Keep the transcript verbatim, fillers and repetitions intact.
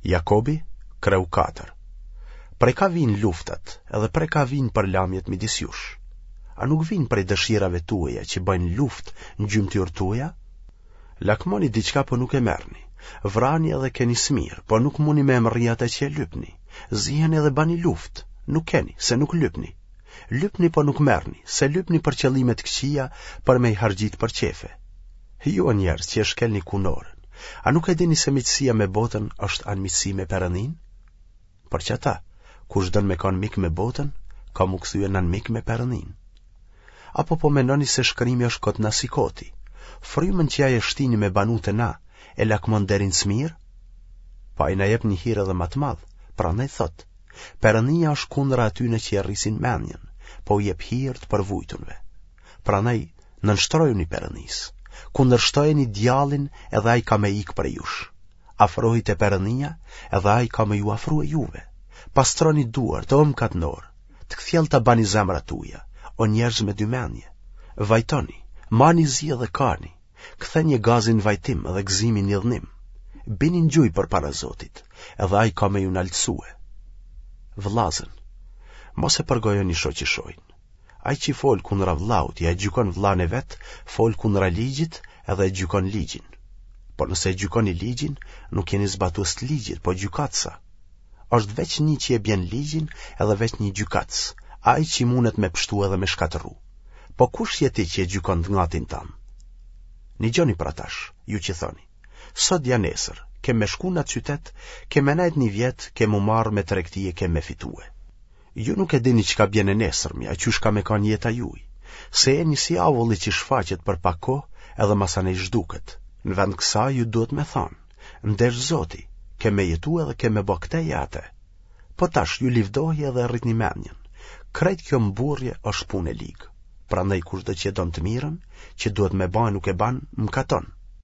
Jakobi, kreu katër. Prej ka vijnë luftat edhe prej ka vijnë përlamjet midis jush? A nuk vijnë prej dëshirave tuaja që bëjnë luftë në gjymtyrët tuaja? Lakmoni diçka po nuk e merrni. Vrani edhe keni smirë, po nuk muni me mrri atë që e lypni. Ziheni edhe bani luftë, nuk keni, se nuk lypni. Lypni po nuk merrni, se lypni për qëllime të këqija, për me i harxhit për qefe. Ju o njerëz që e shkelni kunorën, a nuk e dini se miqësia me botën është anmiqësi me Perëndinë? Për qata, kush don me kanë mik me botën, ka m'u kthye në anmik me Perëndinë. Apo po mendoni se shkrimi është kot na si koti? Frymën që ai e shtini me banu te na, e lakmon deri në smirë? Po ai na jep një hir edhe ma të madh, prandaj thotë, Perëndia është kundra atyne që e rrisin mendjen, po u jep hir të përvujtunve. Prandaj nënshtrojuni Perëndisë, kundërshtojeni djallin edhe ai ka me ikë prej jush. Afrohi te Perëndia edhe ai ka me ju afrue juve. Pastroni duart, o mëkatnorë, të kthjellta bani zemrat tuaja, o njerëz me dy mendje. Vajtoni, mani zi edhe kani, kthenie gazin n'vajtim dhe gëzimin n'idhnim. Bini në gjuj përpara Zotit, edhe ai ka me ju naltësue. Vëllazën, mos e përgojoni shoqishojnë. Ai që fol kundra vëllaut, ja e gjykon vëllanë e vet, fol kundra ligjit edhe e gjykon ligjin. Por nëse e gjykoni ligjin, nuk jeni zbatues të ligjit, po gjykatësa. Është veç një që e bjen ligjin edhe veç një gjykatës, ai që mundet me pështu edhe me shkatërru. Po kush je ti që e gjykon të ngatin tënd? Nigjoni pra tash, ju që thoni, sot ja nesër, kem me shku në atë qytet, kem me nejt një vjet, kem u marrë me tregti e kem me fitue. Ju nuk e dini çka bjen e nesërmja, qysh ka me kanë jeta juj, se jeni si avulli që shfaqet për pak kohë edhe masanej zhduket. Në vend kësaj ju duhet me thanë, n'deshtë Zoti, kem me jetu edhe kem me bo këte ja ate. Po tash ju livdohi edhe rritni mendjen. Krejt kjo mburrje është punë e ligë. Prandaj kushdo që e don të mirën, që duhet me ba nuk e ban, mëkaton.